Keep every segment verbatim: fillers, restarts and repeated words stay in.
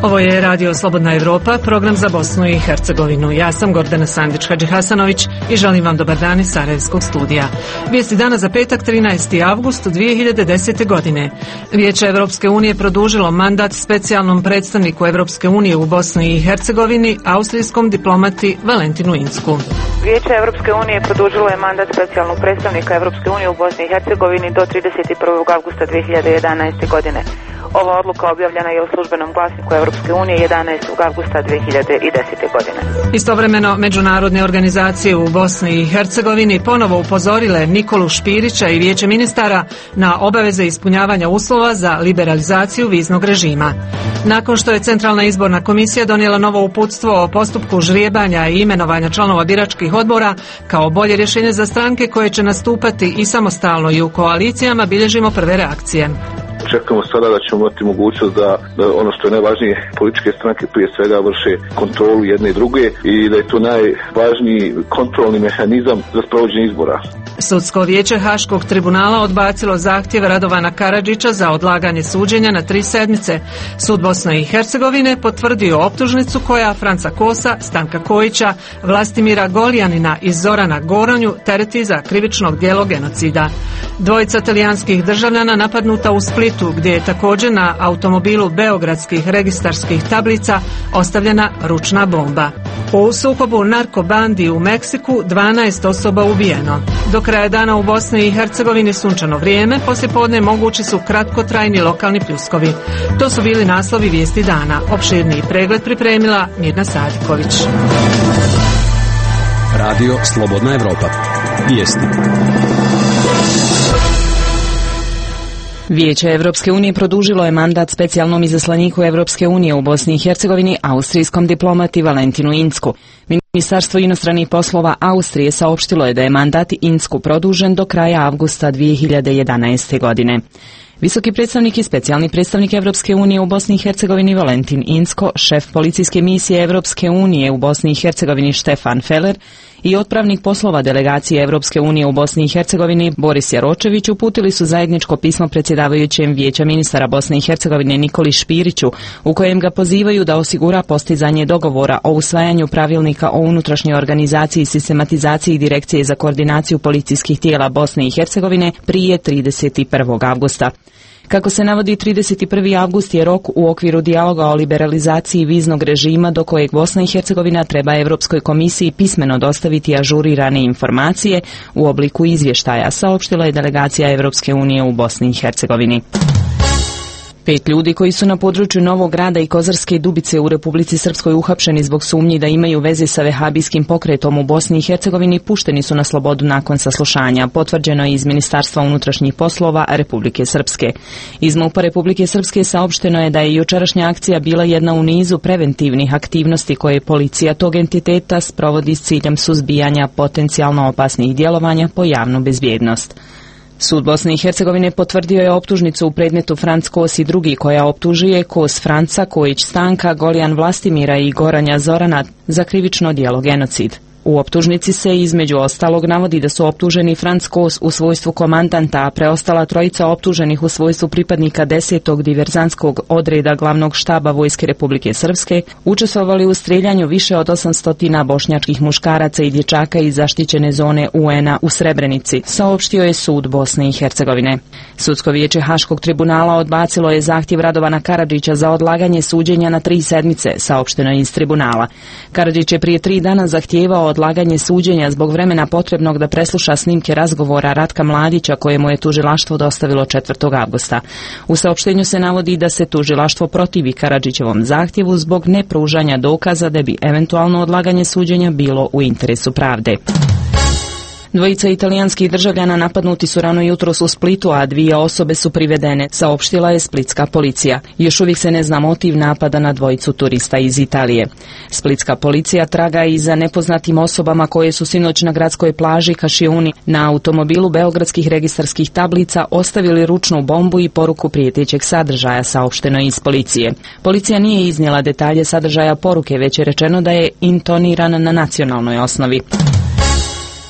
Ovo je Radio Slobodna Evropa, program za Bosnu i Hercegovinu. Ja sam Gordana Sandić-Hadžihasanović i želim vam dobar dan iz Sarajevskog studija. Vijesti dana za petak, trinaesti avgust dvije hiljade desete. godine. Vijeće Evropske unije produžilo mandat specijalnom predstavniku Evropske unije u Bosni i Hercegovini, austrijskom diplomati Valentinu Incku. Vijeće Evropske unije produžilo je mandat specijalnog predstavnika Evropske unije u Bosni i Hercegovini do trideset prvog avgusta dvije hiljade jedanaeste. godine. Ova odluka objavljena je u službenom glasniku Evropske unije jedanaestog avgusta dvije hiljade desete. godine. Istovremeno, međunarodne organizacije u Bosni i Hercegovini ponovo upozorile Nikolu Špirića i Vijeće ministara na obaveze ispunjavanja uslova za liberalizaciju viznog režima. Nakon što je Centralna izborna komisija donijela novo uputstvo o postupku žrijebanja i imenovanja članova biračkih odbora kao bolje rješenje za stranke koje će nastupati i samostalno i u koalicijama, bilježimo prve reakcije. Očekujemo sada da ćemo imati mogućnost da, da ono što je najvažnije, političke stranke prije svega vrše kontrolu jedne i druge i da je to najvažniji kontrolni mehanizam za sprovođenje izbora. Sudsko vijeće Haškog tribunala odbacilo zahtjev Radovana Karadžića za odlaganje suđenja na tri sedmice. Sud Bosne i Hercegovine potvrdio optužnicu koja Franca Kosa, Stanka Kojića, Vlastimira Goljanina i Zorana Goranju tereti za krivično djelo genocida. Dvojica talijanskih državljana napadnuta u Splitu, gdje je također na automobilu beogradskih registarskih tablica ostavljena ručna bomba. U sukobu narkobandi u Meksiku dvanaest osoba ubijeno. Do kraja dana u Bosni i Hercegovini sunčano vrijeme, poslijepodne mogući su kratkotrajni lokalni pljuskovi. To su bili naslovi vijesti dana. Opširniji pregled pripremila Mirna Sadiković. Radio Slobodna Evropa. Vijesti. Vijeće Evropske unije produžilo je mandat specijalnom izaslaniku Evropske unije u Bosni i Hercegovini, austrijskom diplomati Valentinu Incku. Ministarstvo inostranih poslova Austrije saopštilo je da je mandat Incku produžen do kraja avgusta dvije hiljade jedanaeste. godine. Visoki predstavnik i specijalni predstavnik Evropske unije u Bosni i Hercegovini Valentin Incko, šef policijske misije Evropske unije u Bosni i Hercegovini Štefan Feller i otpravnik poslova delegacije Evropske unije u Bosni i Hercegovini Boris Jaročević uputili su zajedničko pismo predsjedavajućem Vijeća ministara Bosne i Hercegovine Nikoli Špiriću, u kojem ga pozivaju da osigura postizanje dogovora o usvajanju pravilnika o unutrašnjoj organizaciji i sistematizaciji Direkcije za koordinaciju policijskih tijela Bosne i Hercegovine prije trideset prvog avgusta. Kako se navodi, trideset prvi avgust je rok u okviru dijaloga o liberalizaciji viznog režima do kojeg Bosna i Hercegovina treba Evropskoj komisiji pismeno dostaviti ažurirane informacije u obliku izvještaja, saopštila je delegacija Evropske unije u Bosni i Hercegovini. Pet ljudi koji su na području Novog Grada i Kozarske Dubice u Republici Srpskoj uhapšeni zbog sumnji da imaju veze sa vehabijskim pokretom u Bosni i Hercegovini pušteni su na slobodu nakon saslušanja, potvrđeno je iz Ministarstva unutrašnjih poslova Republike Srpske. Iz MUP-a Republike Srpske saopšteno je da je jučerašnja akcija bila jedna u nizu preventivnih aktivnosti koje policija tog entiteta sprovodi s ciljem suzbijanja potencijalno opasnih djelovanja po javnu bezbjednost. Sud Bosne i Hercegovine potvrdio je optužnicu u predmetu Franc Kos i drugi koja optužuje Kos Franca, Kojić Stanka, Goljan Vlastimira i Goranja Zorana za krivično djelo genocid. U optužnici se između ostalog navodi da su optuženi Franc Kos u svojstvu komandanta, a preostala trojica optuženih u svojstvu pripadnika desetog diverzantskog odreda glavnog štaba Vojske Republike Srpske učestvovali u streljanju više od osamsto bošnjačkih muškaraca i dječaka iz zaštićene zone U N A u Srebrenici, saopštio je sud Bosne i Hercegovine. Sudsko vijeće Haškog tribunala odbacilo je zahtjev Radovana Karadžića za odlaganje suđenja na tri sedmice, saopšteno je iz tribunala. Karadžić je prije tri dana zahtijevao odlaganje suđenja zbog vremena potrebnog da presluša snimke razgovora Ratka Mladića kojemu je tužilaštvo dostavilo četvrtog avgusta. U saopštenju se navodi da se tužilaštvo protivi Karadžićevom zahtjevu zbog nepružanja dokaza da bi eventualno odlaganje suđenja bilo u interesu pravde. Dvojica italijanskih državljana napadnuti su rano jutros u Splitu, a dvije osobe su privedene, saopštila je splitska policija. Još uvijek se ne zna motiv napada na dvojicu turista iz Italije. Splitska policija traga i za nepoznatim osobama koje su sinoć na gradskoj plaži Kašiuni na automobilu beogradskih registarskih tablica ostavili ručnu bombu i poruku prijetećeg sadržaja, saopšteno iz policije. Policija nije iznijela detalje sadržaja poruke, već je rečeno da je intoniran na nacionalnoj osnovi.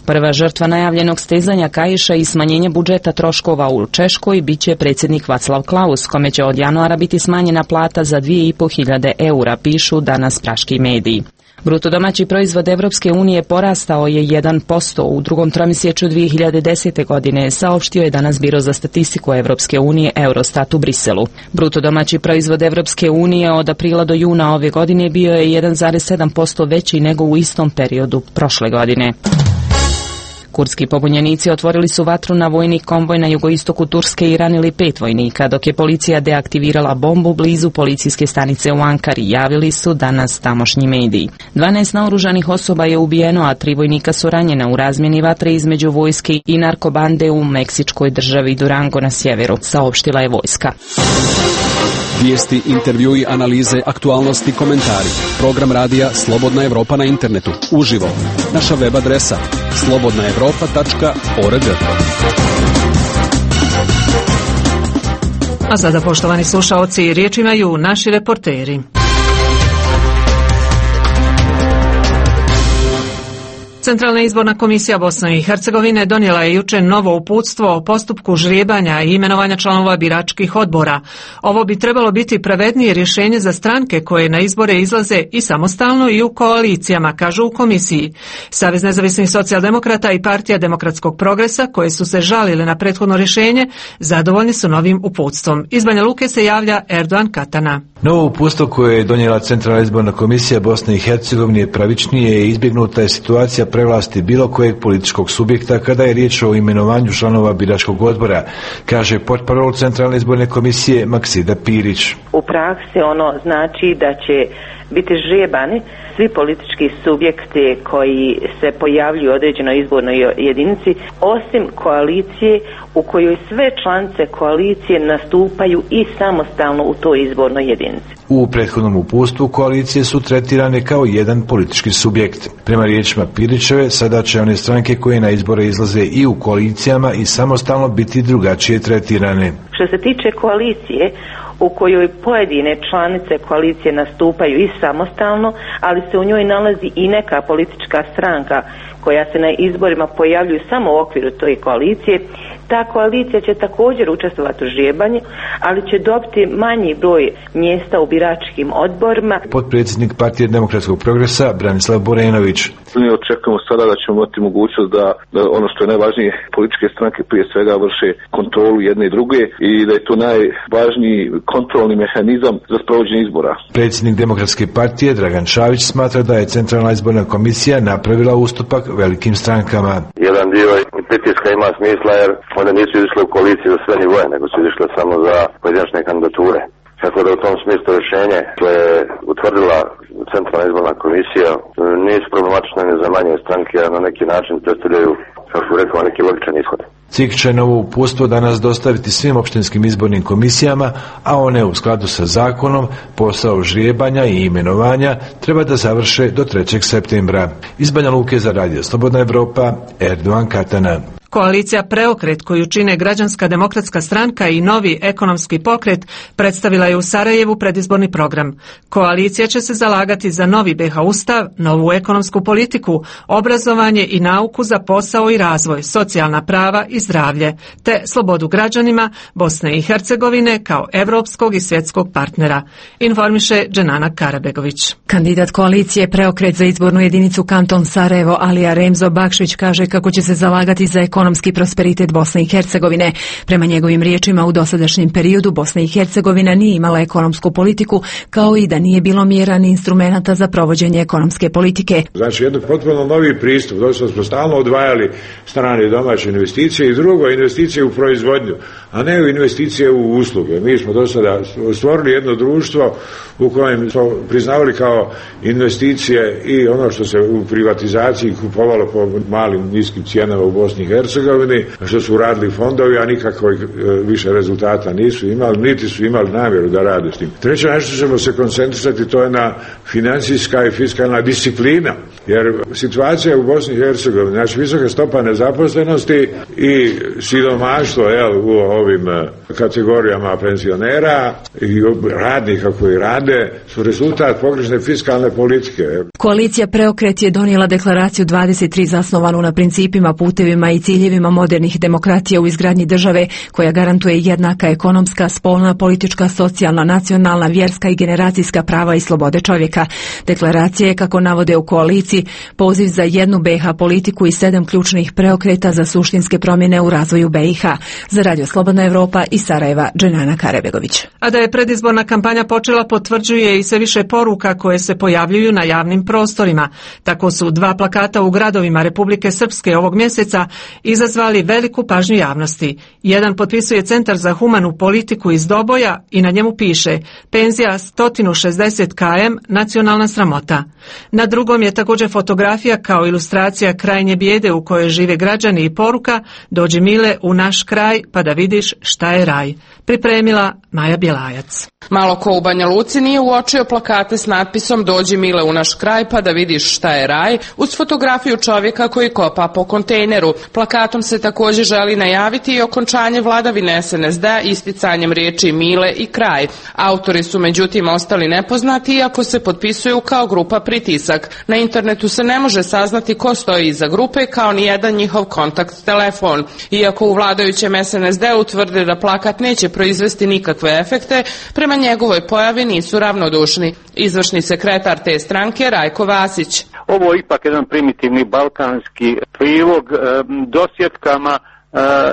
Prva žrtva najavljenog stezanja kaiša i smanjenja budžeta troškova u Češkoj biće predsjednik Vaclav Klaus, kome će od januara biti smanjena plata za dvije i po hiljade eura, pišu danas praški mediji. Bruto domaći proizvod Evropske unije porastao je jedan posto u drugom tromjesečju dvije hiljade desete. godine, saopštio je danas Biro za statistiku Evropske unije Eurostat u Briselu. Bruto domaći proizvod Evropske unije od aprila do juna ove godine bio je jedan zarez sedam posto veći nego u istom periodu prošle godine. Kurdski pobunjenici otvorili su vatru na vojni konvoj na jugoistoku Turske i ranili pet vojnika, dok je policija deaktivirala bombu blizu policijske stanice u Ankari, javili su danas tamošnji mediji. dvanaest naoružanih osoba je ubijeno, a tri vojnika su ranjena u razmjeni vatre između vojske i narkobande u meksičkoj državi Durango na sjeveru, saopštila je vojska. Vijesti, intervjui, analize, aktualnosti, komentari. Program radija Slobodna Evropa na internetu. Uživo. Naša web adresa slobodna evropa tačka org. A sada, poštovani slušaoci, riječ imaju naši reporteri. Centralna izborna komisija Bosne i Hercegovine donijela je jučer novo uputstvo o postupku žrijebanja i imenovanja članova biračkih odbora. Ovo bi trebalo biti pravednije rješenje za stranke koje na izbore izlaze i samostalno i u koalicijama, kažu u komisiji. Savez nezavisnih socijaldemokrata i Partija demokratskog progresa, koje su se žalile na prethodno rješenje, zadovoljni su novim uputstvom. Iz Banja Luke se javlja Erdogan Katana. Novo uputstvo koje je donijela Centralna izborna komisija Bosne i Hercegovine je pravičnije i izbjegnuta je situacija prevlasti bilo kojeg političkog subjekta kada je riječ o imenovanju članova biračkog odbora, kaže portparol Centralne izborne komisije Maksida Pirić. U praksi ono znači da će biti žrijebani svi politički subjekti koji se pojavljuju u određenoj izbornoj jedinici, osim koalicije u kojoj sve članice koalicije nastupaju i samostalno u toj izbornoj jedinici. U prethodnom uputstvu koalicije su tretirane kao jedan politički subjekt. Prema riječima Pirićeve, sada će one stranke koje na izbore izlaze i u koalicijama i samostalno biti drugačije tretirane. Što se tiče koalicije, u kojoj pojedine članice koalicije nastupaju i samostalno, ali se u njoj nalazi i neka politička stranka koja se na izborima pojavljuju samo u okviru toj koalicije, ta koalicija će također učestvovati u žrijebanju, ali će dobiti manji broj mjesta u biračkim odborima. Potpredsjednik Partije demokratskog progresa Branislav Borenović. Mi očekujemo sada da ćemo imati mogućnost da, da ono što je najvažnije, političke stranke prije svega vrše kontrolu jedne i druge i da je to najvažniji kontrolni mehanizam za sprovođenje izbora. Predsjednik Demokratske partije Dragan Čavić smatra da je Centralna izborna komisija napravila ustupak velikim strankama. Jedan dio pritiska ima smisla jer one nisu izišle u koaliciji za sve nivoje, nego su izišle samo za pojedinačne kandidature. Tako da u tom smislu rješenje koje je utvrdila Centralna izborna komisija nisu problematične ni za manje stranke, a na neki način predstavljaju, kao što rekao, neki logičan ishod. C I K će novo uputstvo danas dostaviti svim opštinskim izbornim komisijama, a one u skladu sa zakonom posao žrijebanja i imenovanja treba da završe do trećeg septembra. Iz Banja Luke za Radio Slobodna Evropa, Erdogan Katana. Koalicija Preokret, koju čine Građanska demokratska stranka i Novi ekonomski pokret, predstavila je u Sarajevu predizborni program. Koalicija će se zalagati za novi B iH ustav, novu ekonomsku politiku, obrazovanje i nauku za posao i razvoj, socijalna prava i zdravlje, te slobodu građanima Bosne i Hercegovine kao evropskog i svjetskog partnera, informiše Dženana Karabegović. Kandidat koalicije Preokret za izbornu jedinicu Kanton Sarajevo Alija Remzo Bakšić kaže kako će se zalagati za ekonomski prosperitet Bosne i Hercegovine. Prema njegovim riječima, u dosadašnjem periodu Bosna i Hercegovina nije imala ekonomsku politiku, kao i da nije bilo mjera ni instrumenata za provođenje ekonomske politike. Znači, jedan potpuno novi pristup, dosta smo stalno odvajali strane i domaće investicije i drugo, investicije u proizvodnju, a ne u investicije u usluge. Mi smo do sada stvorili jedno društvo u kojem smo priznavali kao investicije i ono što se u privatizaciji kupovalo po malim niskim cijenama u Bosni i Hercegovini, Hercegovini, što su radili fondovi, a nikakvih više rezultata nisu imali, niti su imali namjeru da rade s tim. Treće, nešto ćemo se koncentrisati, to je na financijska i fiskalna disciplina, jer situacija u Bosni i Hercegovini, znači visoka stopa nezaposlenosti i siromaštvo jel, u ovim kategorijama penzionera i radnika koji rade su rezultat pogrešne fiskalne politike. Koalicija Preokret je donijela deklaraciju dvadeset tri zasnovanu na principima, putevima i ciljevima modernih demokratija u izgradnji države koja garantuje jednaka ekonomska, spolna, politička, socijalna, nacionalna, vjerska i generacijska prava i slobode čovjeka. Deklaracija je, kako navode u koaliciji, poziv za jednu B i H politiku i sedam ključnih preokreta za suštinske promjene u razvoju B i H. Za Radio Slobodna Evropa iz Sarajeva, Dženana Karebegović. A da je predizborna kampanja počela potvrđuje i sve više poruka koje se pojavljuju na javnim prostorima. Tako su dva plakata u gradovima Republike Srpske ovog mjeseca izazvali veliku pažnju javnosti. Jedan potpisuje Centar za humanu politiku iz Doboja i na njemu piše penzija sto šezdeset kilometara, nacionalna sramota. Na drugom je također fotografija kao ilustracija krajnje bijede u kojoj žive građani i poruka dođi mile u naš kraj pa da vidiš šta je raj. Pripremila Maja Bjelajac. Malo ko u Banja Luci nije uočio plakate s natpisom dođi mile u naš kraj pa da vidiš šta je raj, uz fotografiju čovjeka koji kopa po kontejneru. Plakatom se također želi najaviti i okončanje vladavine S N S D isticanjem riječi mile i kraj. Autori su međutim ostali nepoznati iako se potpisuju kao grupa Pritisak. Na internetu se ne može saznati ko stoji iza grupe kao ni jedan njihov kontakt telefon. Iako u vladajućem S N S D utvrde da plakat neće proizvesti nikakve efekte, prema njegovoj pojavi nisu ravnodušni. Izvršni sekretar te stranke Rajko Vasić. Ovo je ipak jedan primitivni balkanski prilog e, dosjetkama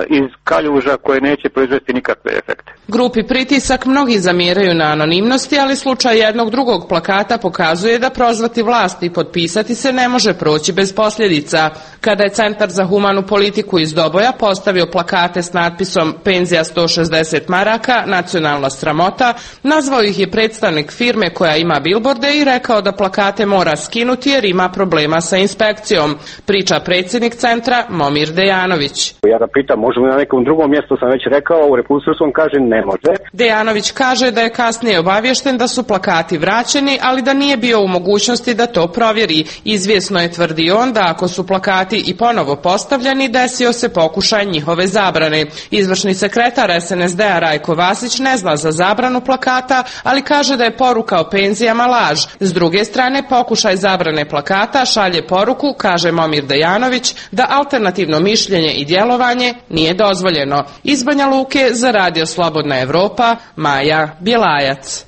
iz kaljuža koje neće proizvesti nikakve efekte. Grupi Pritisak mnogi zamjeraju na anonimnosti, ali slučaj jednog drugog plakata pokazuje da prozvati vlast i potpisati se ne može proći bez posljedica. Kada je Centar za humanu politiku iz Doboja postavio plakate s natpisom penzija sto šezdeset maraka, nacionalna sramota, nazvao ih je predstavnik firme koja ima bilborde i rekao da plakate mora skinuti jer ima problema sa inspekcijom. Priča predsjednik centra Momir Dejanović. Ja ga pitam, možemo na nekom drugom mjestu, sam već rekao, u Republici Srpskoj kaže ne može. Dejanović kaže da je kasnije obaviješten da su plakati vraćeni, ali da nije bio u mogućnosti da to provjeri. Izvjesno je, tvrdi on, da ako su plakati i ponovo postavljeni, desio se pokušaj njihove zabrane. Izvršni sekretar S N S D-a Rajko Vasić ne zna za zabranu plakata, ali kaže da je poruka o penzijama laž. S druge strane, pokušaj zabrane plakata šalje poruku, kaže Momir Dejanović, da alternativno mišljenje i djelovanje nije dozvoljeno. Iz Banja Luke za Radio Slobodna Evropa, Maja Bjelajac.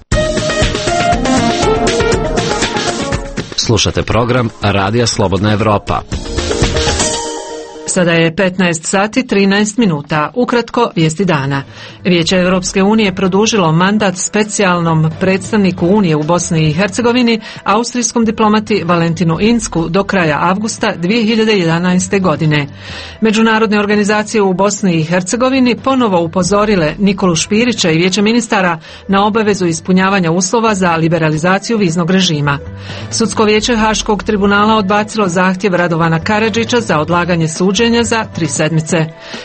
Slušate program Radija Slobodna Evropa. Sada je petnaest sati trinaest minuta. Ukratko vijesti dana. Vijeće Europske unije produžilo mandat specijalnom predstavniku Unije u Bosni i Hercegovini, austrijskom diplomati Valentinu Incku do kraja avgusta dvije hiljade jedanaeste. godine. Međunarodne organizacije u Bosni i Hercegovini ponovo upozorile Nikolu Špirića i Vijeće ministara na obavezu ispunjavanja uslova za liberalizaciju viznog režima. Sudsko vijeće Haškog tribunala odbacilo zahtjev Radovana Karadžića za odlaganje suđenja za tri sedmice.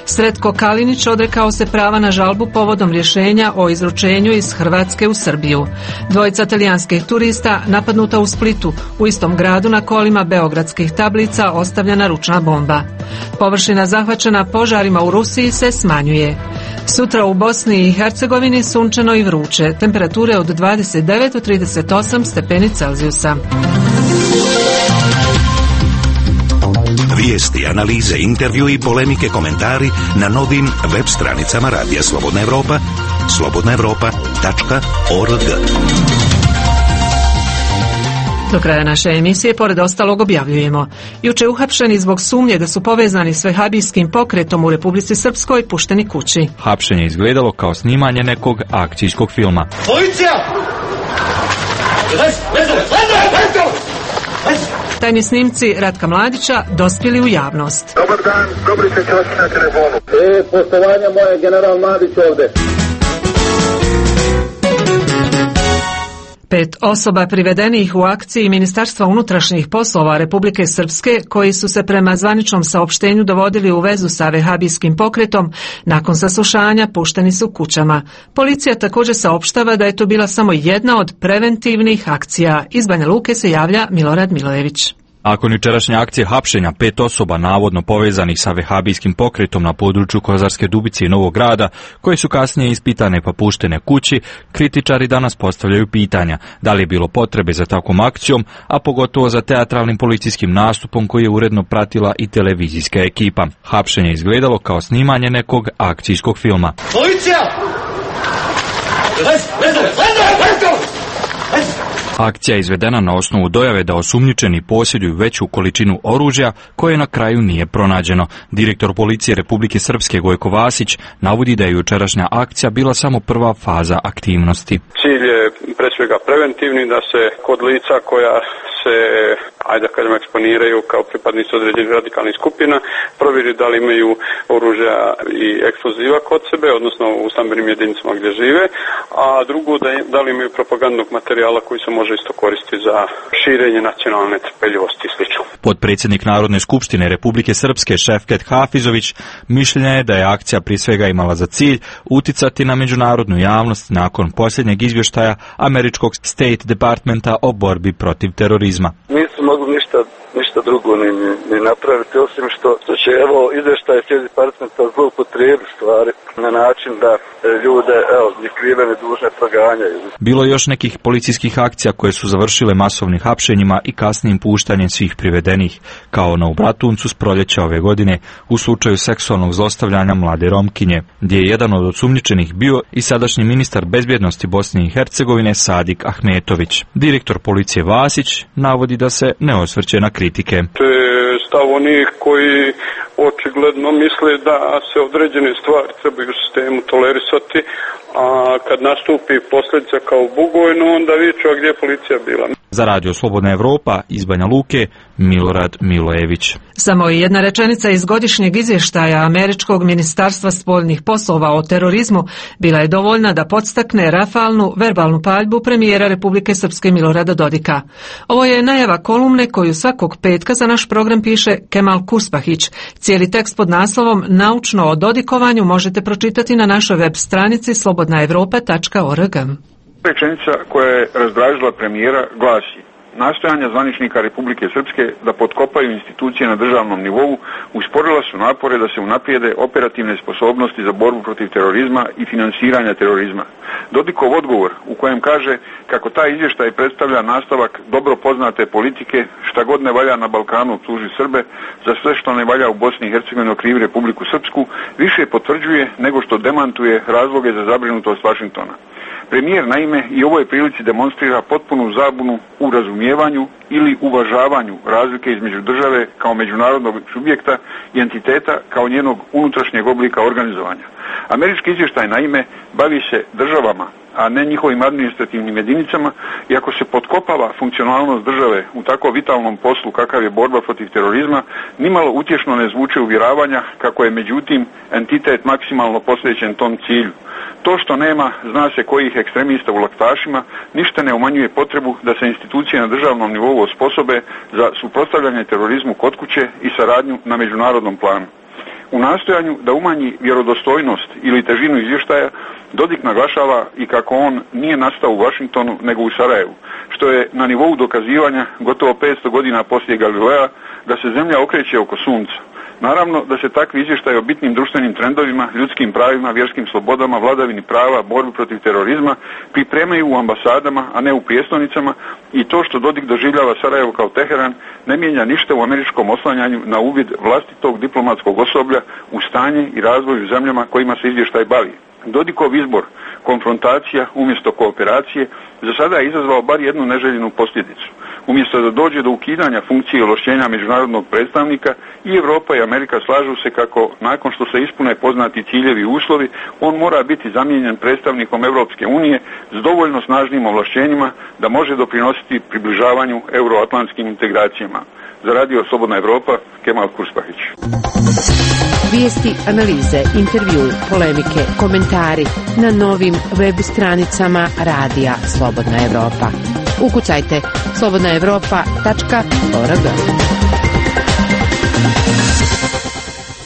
Sretko Kalinić odrekao se prava na žalbu povodom rješenja o izručenju iz Hrvatske u Srbiju. Dvojica talijanskih turista napadnuta u Splitu, u istom gradu na kolima beogradskih tablica ostavljena ručna bomba. Površina zahvaćena požarima u Rusiji se smanjuje. Sutra u Bosni i Hercegovini sunčano i vruće, temperature od dvadeset devet do trideset osam stepeni Celzijusa. Vijesti, analize, intervju i polemike, komentari na novim web stranicama Radija Slobodna Evropa, slobodna evropa tačka org. Do kraja naše emisije, pored ostalog, objavljujemo. Juče uhapšeni zbog sumnje da su povezani s vehabijskim pokretom u Republici Srpskoj pušteni kući. Hapšenje izgledalo kao snimanje nekog akcijskog filma. Policija! Tajni snimci Ratka Mladića dospjeli u javnost. Dobar dan, dobri se čovjek na telefonu. E, poštovanja moje, general Mladić ovdje. Pet osoba privedenih u akciji Ministarstva unutrašnjih poslova Republike Srpske, koji su se prema zvaničnom saopštenju dovodili u vezu sa vehabijskim pokretom, nakon saslušanja pušteni su kućama. Policija također saopštava da je to bila samo jedna od preventivnih akcija. Iz Banja Luke se javlja Milorad Milojević. Nakon jučerašnje akcije hapšenja pet osoba navodno povezanih sa vehabijskim pokretom na području Kozarske Dubice i Novog Grada, koje su kasnije ispitane pa puštene kući, kritičari danas postavljaju pitanja da li je bilo potrebe za takvom akcijom, a pogotovo za teatralnim policijskim nastupom koji je uredno pratila i televizijska ekipa. Hapšenje je izgledalo kao snimanje nekog akcijskog filma. Policija! Akcija je izvedena na osnovu dojave da osumnjičeni posjeduju veću količinu oružja koje na kraju nije pronađeno. Direktor policije Republike Srpske Gojko Vasić navodi da je jučerašnja akcija bila samo prva faza aktivnosti. Cilj je pre svega preventivni, da se kod lica koja se, ajde da kažem, eksponiraju kao pripadnici određenih radikalnih skupina, provjeri da li imaju oružja i eksploziva kod sebe, odnosno u stambenim jedinicama gdje žive, a drugo da, da li imaju propagandnog materijala koji se može isto koristiti za širenje nacionalne trpeljivosti i sl. Potpredsjednik Narodne skupštine Republike Srpske Šefket Hafizović mišljenja je da je akcija prije svega imala za cilj uticati na međunarodnu javnost nakon posljednjeg izvještaja američkog State Departmenta o borbi protiv terorizma. Nisu mogli ništa, ništa drugo ni, ni, ni napraviti, osim što, što će evo izvještaj State Departmenta zloupotrijebiti stvari na način da ljude, evo, ni krive ni dužne proganjaju. Bilo je još nekih policijskih akcija koje su završile masovnim hapšenjima i kasnijim puštanjem svih privedenih, kao ono u Bratuncu s proljeća ove godine u slučaju seksualnog zlostavljanja mlade Romkinje, gdje je jedan od osumnjičenih bio i sadašnji ministar bezbjednosti Bosne i Hercegovine Sadik Ahmetović. Direktor policije Vasić navodi da se ne osvrće na kritike. To je stav onih koji očigledno misle da se određene stvari trebaju u sistemu tolerisati, a kad nastupi posljedica kao Bugojno, onda viču, a gdje je policija bila. Za Radio Slobodna Evropa iz Banja Luke, Milorad Milojević. Samo jedna rečenica iz godišnjeg izvještaja Američkog ministarstva spoljnih poslova o terorizmu bila je dovoljna da podstakne rafalnu verbalnu paljbu premijera Republike Srpske Milorada Dodika. Ovo je najava kolumne koju svakog petka za naš program piše Kemal Kuspahić. Cijeli tekst pod naslovom Naučno o dodikovanju možete pročitati na našoj web stranici slobodna evropa tačka org. Rečenica koja je razdražila premijera glasi: nastojanja zvaničnika Republike Srpske da potkopaju institucije na državnom nivou usporila su napore da se unaprijede operativne sposobnosti za borbu protiv terorizma i finansiranja terorizma. Dodikov odgovor u kojem kaže kako taj izvještaj predstavlja nastavak dobro poznate politike šta god ne valja na Balkanu optuži Srbe, za sve što ne valja u Bosni i Hercegovini okrivi Republiku Srpsku, više potvrđuje nego što demantuje razloge za zabrinutost Vašingtona. Premijer naime i ovoj prilici demonstrira potpunu zabunu u razumijevanju ili uvažavanju razlike između države kao međunarodnog subjekta i entiteta kao njenog unutrašnjeg oblika organizovanja. Američki izvještaj naime bavi se državama, a ne njihovim administrativnim jedinicama, i ako se potkopava funkcionalnost države u tako vitalnom poslu kakav je borba protiv terorizma, nimalo utješno ne zvuče uvjeravanja kako je međutim entitet maksimalno posvećen tom cilju. To što nema, zna se kojih ekstremista u laktašima, ništa ne umanjuje potrebu da se institucije na državnom nivou osposobe za suprotstavljanje terorizmu kod kuće i saradnju na međunarodnom planu. U nastojanju da umanji vjerodostojnost ili težinu izvještaja, Dodik naglašava i kako on nije nastao u Vašingtonu nego u Sarajevu, što je na nivou dokazivanja gotovo petsto godina poslije Galilea da se zemlja okreće oko sunca. Naravno da se takvi izvještaji o bitnim društvenim trendovima, ljudskim pravima, vjerskim slobodama, vladavini prava, borbi protiv terorizma pripremaju u ambasadama, a ne u prijestolnicama, i to što Dodik doživljava Sarajevo kao Teheran ne mijenja ništa u američkom oslanjanju na uvid vlastitog diplomatskog osoblja u stanje i razvoj u zemljama kojima se izvještaj bavi. Dodikov izbor, konfrontacija umjesto kooperacije, za sada je izazvao bar jednu neželjenu posljedicu. Umjesto da dođe do ukidanja funkcije i ovlašćenja međunarodnog predstavnika, i Europa i Amerika slažu se kako, nakon što se ispune poznati ciljevi i uslovi, on mora biti zamijenjen predstavnikom Europske unije s dovoljno snažnim ovlašćenjima da može doprinositi približavanju euroatlantskim integracijama. Za Radio Slobodna Evropa, Kemal Kuspahić. Vijesti, analize, intervjui, polemike, komentari na novim web stranicama Radija Slobodna Evropa. Ukucajte slobodna evropa tačka org.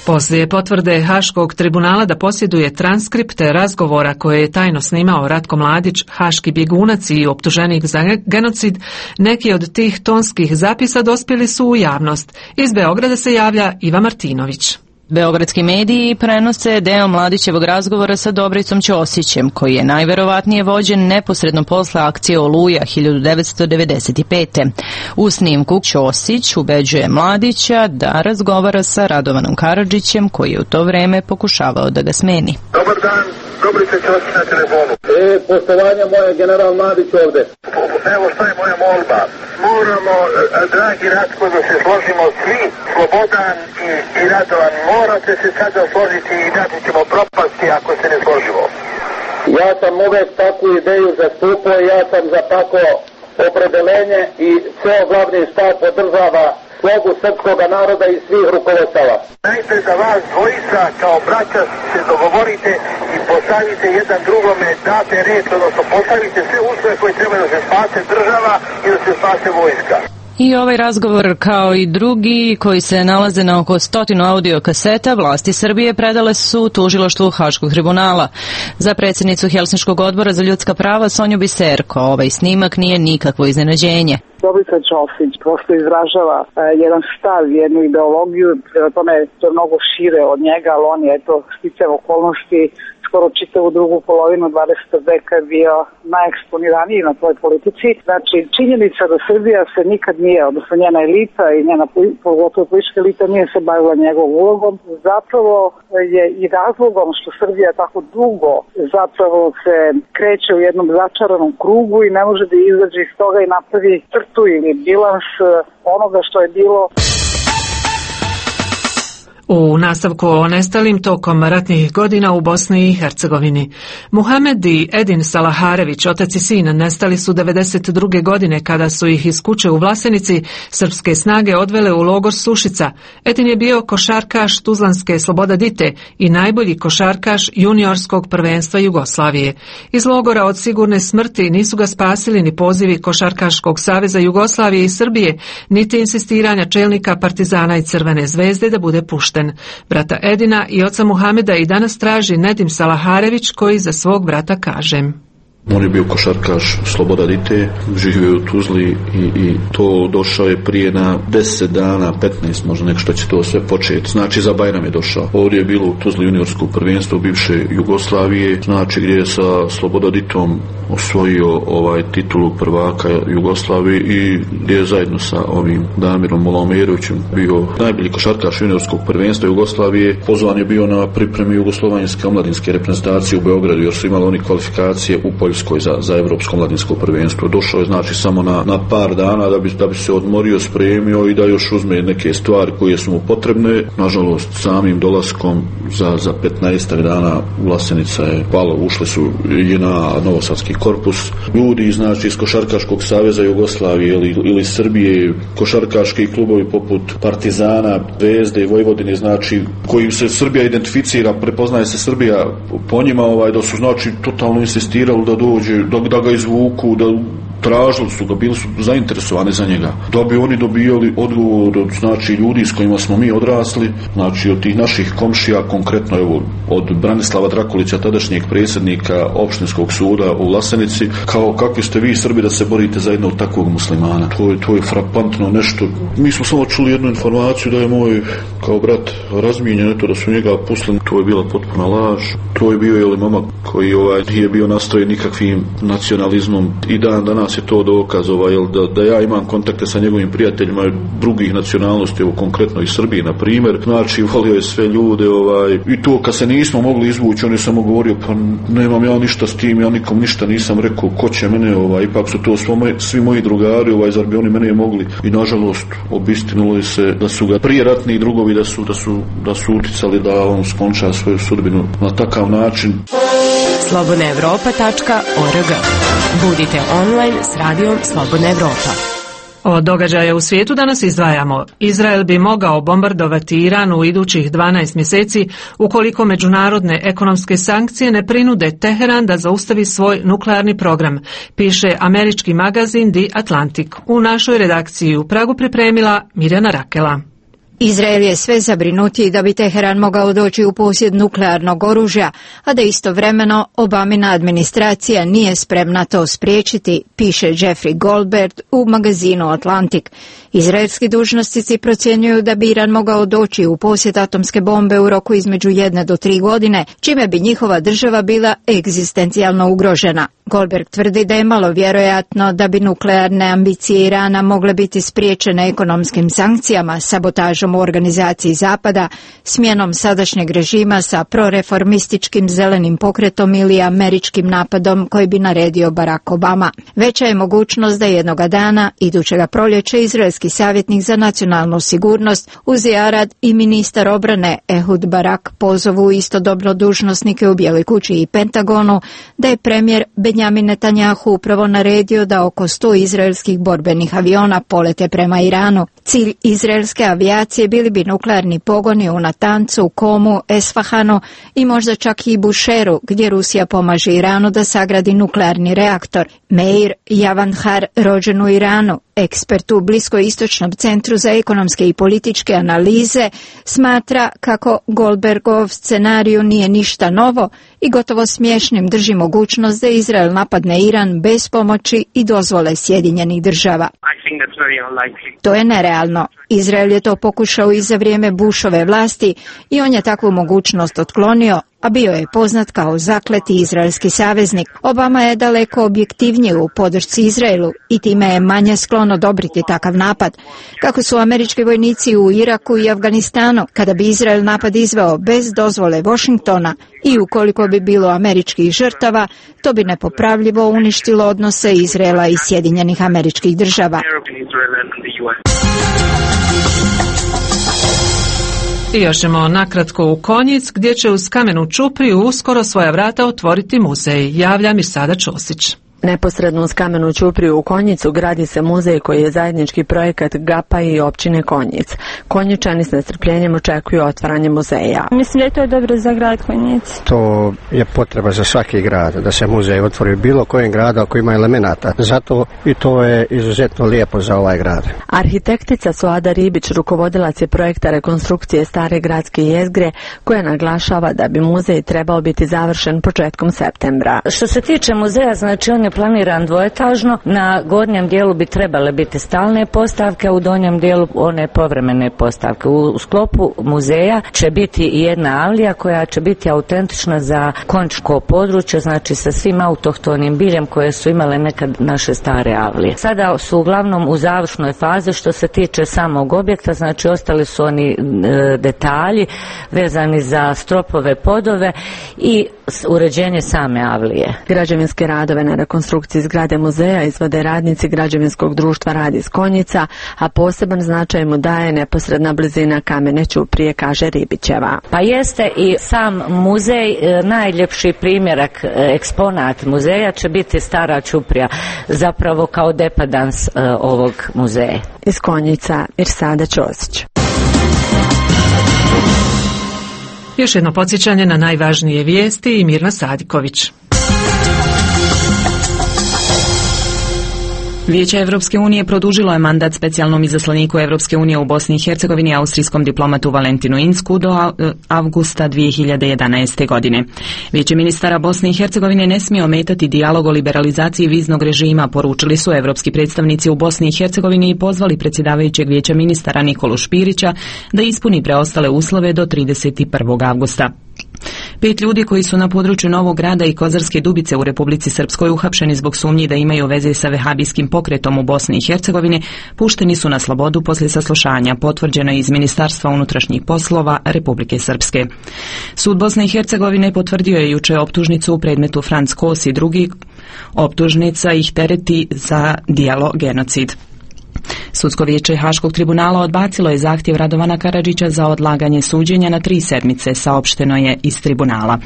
Poslije potvrde Haškog tribunala da posjeduje transkripte razgovora koje je tajno snimao Ratko Mladić, haški bjegunac i optuženik za genocid, neki od tih tonskih zapisa dospjeli su u javnost. Iz Beograda se javlja Iva Martinović. Beogradski mediji prenose deo Mladićevog razgovora sa Dobricom Ćosićem, koji je najverovatnije vođen neposredno posle akcije Oluja hiljadu devetsto devedeset pete. U snimku Ćosić ubeđuje Mladića da razgovara sa Radovanom Karadžićem, koji je u to vreme pokušavao da ga smeni. Dobar dan, Dobrica Ćosić na telefonu. E, poštovanje moje, general Mladić ovde. Evo šta je moja molba. Moramo, dragi Ratko, da se složimo svi, Slobodan i, i Radovan, morate se sada složiti i dati ćemo propasti ako se ne složimo. Ja sam uvek takvu ideju zastupao, ja sam za tako opredelenje i ceo glavni štab podržava slogu srpskog naroda i svih rukovodstava. Najprej da vas dvojica kao braća se dogovorite i postavite jedan drugome, date reč, odnosno postavite sve uslove koje treba da se spase država i da se spase vojska. I ovaj razgovor, kao i drugi koji se nalaze na oko stotinu audio kaseta, vlasti Srbije predale su tužilaštvu Haškog tribunala. Za predsjednicu Helsinškog odbora za ljudska prava Sonju Biserko ovaj snimak nije nikakvo iznenađenje. Dobrica Ćosić prosto izražava e, jedan stav, jednu ideologiju, prema tome to je mnogo šire od njega, ali on je eto sticajem okolnosti skoro čitavu drugu polovinu dvadesetog veka bio najeksponiraniji na toj politici. Znači, činjenica da Srbija se nikad nije, odnosno njena elita i njena pogotovo politička elita nije se bavila njegovom ulogom, zapravo je i razlogom što Srbija tako dugo zapravo se kreće u jednom začaranom krugu i ne može da izađe iz toga i napravi crtu ili bilans onoga što je bilo. U nastavku o nestalim tokom ratnih godina u Bosni i Hercegovini. Muhamed i Edin Salaharević, otac i sin, nestali su devedeset druge godine kada su ih iz kuće u Vlasenici srpske snage odvele u logor Sušica. Edin je bio košarkaš Tuzlanske Sloboda Dite i najbolji košarkaš juniorskog prvenstva Jugoslavije. Iz logora od sigurne smrti nisu ga spasili ni pozivi Košarkaškog saveza Jugoslavije i Srbije, niti insistiranja čelnika Partizana i Crvene zvezde da bude pušten. Brata Edina i oca Muhameda i danas traži Nedim Salaharević, koji za svog brata kaže: On je bio košarkaš Sloboda Dite, živio je u Tuzli i, i to došao je prije na deset dana, petnaest možda nek što će to sve početi. Znači za Bajram je došao. Ovdje je bilo u Tuzli juniorsko prvenstvo bivše Jugoslavije, znači gdje je sa Sloboda Ditom osvojio ovaj titulu prvaka Jugoslavije i gdje je zajedno sa ovim Damirom Molomerovićem bio najbolji košarkaš juniorskog prvenstva Jugoslavije. Pozvan je bio na pripremi jugoslovenske omladinske reprezentacije u Beogradu jer su imali oni kvalifikacije u Poljskoj za, za evropsko mladinsko prvenstvo. Došao je znači samo na, na par dana da bi, da bi se odmorio, spremio i da još uzme neke stvari koje su mu potrebne. Nažalost, samim dolaskom za, za petnaest dana Vlasenica je palo, ušli su i na Novosadski korpus. Ljudi znači iz Košarkaškog saveza Jugoslavije ili, ili Srbije, košarkaški klubovi poput Partizana, Zvezde i Vojvodine, znači kojim se Srbija identificira, prepoznaje se Srbija po njima, ovaj, da su znači totalno insistirali da dođe, da, da ga izvuku, da tražili su ga, bili su zainteresovani za njega. Da bi oni dobijali odgovor od znači ljudi s kojima smo mi odrasli, znači od tih naših komšija, konkretno evo od Branislava Drakulića, tadašnjeg predsjednika opštinskog suda u Vlasenici, kao kakvi ste vi Srbi da se borite za jednog takvog muslimana. To je, to je frapantno nešto. Mi smo samo čuli jednu informaciju da je moj kao brat razmijenjen, eto da su njega pustili. To je bila potpuna laž. To je bio jeli momak koji ovaj nije bio nastrojen nikakvim nacionalizmom i dan danas je to dokaz ovaj, da, da ja imam kontakte sa njegovim prijateljima drugih nacionalnosti, evo konkretno i Srbije na primjer, znači volio je sve ljude ovaj, i to kad se nismo mogli izvući on je samo govorio pa nemam ja ništa s tim, ja nikom ništa nisam rekao, ko će mene, ovaj, ipak su to svo moj, svi moji drugari, ovaj, zar bi oni mene mogli, i nažalost obistinulo je se da su ga prije ratni drugovi da su, da su, da su uticali da on skonča svoju sudbinu na takav način. slobodna evropa tačka org. Budite online s radijom Slobodna Evropa. Od događaja u svijetu danas izdvajamo. Izrael bi mogao bombardovati Iran u idućih dvanaest mjeseci ukoliko međunarodne ekonomske sankcije ne prinude Teheran da zaustavi svoj nuklearni program, piše američki magazin The Atlantic. U našoj redakciji u Pragu pripremila Mirjana Rakela. Izrael je sve zabrinutiji da bi Teheran mogao doći u posjed nuklearnog oružja, a da istovremeno Obamina administracija nije spremna to spriječiti, piše Jeffrey Goldberg u magazinu Atlantic. Izraelski dužnosnici procjenjuju da bi Iran mogao doći u posjed atomske bombe u roku između jedne do tri godine, čime bi njihova država bila egzistencijalno ugrožena. Goldberg tvrdi da je malo vjerojatno da bi nuklearne ambicije Irana mogle biti spriječene ekonomskim sankcijama, sabotažom u organizaciji Zapada, smjenom sadašnjeg režima sa proreformističkim zelenim pokretom ili američkim napadom koji bi naredio Barack Obama. Veća je mogućnost da jednoga dana, idućega proljeća, izraelski savjetnik za nacionalnu sigurnost Uzi Arad i ministar obrane Ehud Barak pozovu istodobno dužnosnike u Bijeloj kući i Pentagonu da je premijer Benjamin Netanjahu upravo naredio da oko sto izraelskih borbenih aviona polete prema Iranu. Cilj izraelske avijacije bili bi nuklearni pogoni u Natancu, Komu, Esfahanu i možda čak i Bušeru, gdje Rusija pomaže Iranu da sagradi nuklearni reaktor. Meir Javanhar, rođen u Iranu, ekspert u Bliskoistočnom centru za ekonomske i političke analize, smatra kako Goldbergov scenariju nije ništa novo i gotovo smiješnim drži mogućnost da Izrael napadne Iran bez pomoći i dozvole Sjedinjenih država. To je nerealno. Izrael je to pokušao i za vrijeme Bushove vlasti i on je takvu mogućnost otklonio, a bio je poznat kao zakleti izraelski saveznik. Obama je daleko objektivniji u podršci Izraelu i time je manje sklon odobriti takav napad. Kako su američki vojnici u Iraku i Afganistanu, kada bi Izrael napad izveo bez dozvole Washingtona i ukoliko bi bilo američkih žrtava, to bi nepopravljivo uništilo odnose Izraela i Sjedinjenih Američkih Država. I još ćemo nakratko u Konjic, gdje će uz kamenu čupriju uskoro svoja vrata otvoriti muzej, javlja Mirsada Ćosić. Neposredno uz kamenu čupriju u Konjicu gradi se muzej koji je zajednički projekat G A P-a i općine Konjic. Konjičani s nestrpljenjem očekuju otvaranje muzeja. Mislim da je to dobro za grad Konjic. To je potreba za svaki grad, da se muzej otvori bilo kojem gradu ako ima elemenata. Zato i to je izuzetno lijepo za ovaj grad. Arhitektica Suada Ribić rukovodilac je projekta rekonstrukcije stare gradske jezgre, koja naglašava da bi muzej trebao biti završen početkom septembra. Što se tiče muzeja, znači on je planiran dvoetažno, na gornjem dijelu bi trebale biti stalne postavke, a u donjem dijelu one povremene postavke. U sklopu muzeja će biti i jedna avlija koja će biti autentična za konjičko područje, znači sa svim autohtonim biljem koje su imale nekad naše stare avlije. Sada su uglavnom u završnoj fazi što se tiče samog objekta, znači ostali su oni e, detalji vezani za stropove, podove i uređenje same avlije. Građevinske radove na rekonstrukciji zgrade muzeja izvode radnici građevinskog društva Rad iz Konjica, a poseban značaj mu daje neposredna blizina kamene ćuprije, kaže Ribićeva. Pa jeste i sam muzej, najljepši primjerak, eksponat muzeja će biti stara ćuprija, zapravo kao depadans ovog muzeja. Iz Konjica, Mirsada Ćosić. Još jedno podsjećanje na najvažnije vijesti i Mirna Sadiković. Vijeće Evropske unije produžilo je mandat specijalnom izaslaniku Evropske unije u Bosni i Hercegovini, austrijskom diplomatu Valentinu Insku do avgusta dvije hiljade jedanaeste. godine. Vijeće ministara Bosne i Hercegovine ne smije ometati dijalog o liberalizaciji viznog režima, poručili su evropski predstavnici u Bosni i Hercegovini i pozvali predsjedavajućeg vijeća ministara Nikolu Špirića da ispuni preostale uslove do trideset prvog avgusta. Pet ljudi koji su na području Novog Grada i Kozarske Dubice u Republici Srpskoj uhapšeni zbog sumnji da imaju veze sa vehabijskim pokretom u Bosni i Hercegovini pušteni su na slobodu poslije saslušanja, potvrđeno je iz Ministarstva unutrašnjih poslova Republike Srpske. Sud Bosne i Hercegovine potvrdio je juče optužnicu u predmetu Franc Kos i drugi. Optužnica ih tereti za djelo genocid. Sudsko vijeće Haškog tribunala odbacilo je zahtjev Radovana Karadžića za odlaganje suđenja na tri sedmice, saopšteno je iz tribunala.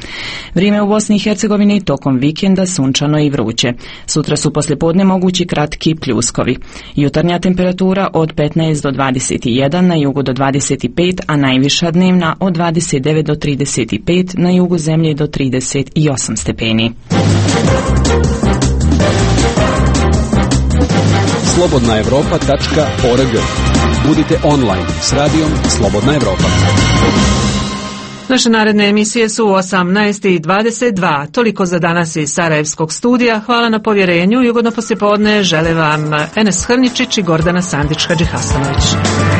Vrijeme u Bosni i Hercegovini tokom vikenda sunčano i vruće. Sutra su poslijepodne mogući kratki pljuskovi. Jutarnja temperatura od petnaest do dvadeset jedan, na jugu do dvadeset pet, a najviša dnevna od dvadeset devet do trideset pet, na jugu zemlje do trideset osam stepeni. slobodna evropa tačka org. Budite online s radijom Slobodna Evropa. Naše naredne emisije su u osamnaest i dvadeset dva. Toliko za danas iz Sarajevskog studija. Hvala na povjerenju i ugodno poslijepodne žele vam Enes Hrničić i Gordana Sandić-Hadžihasanović.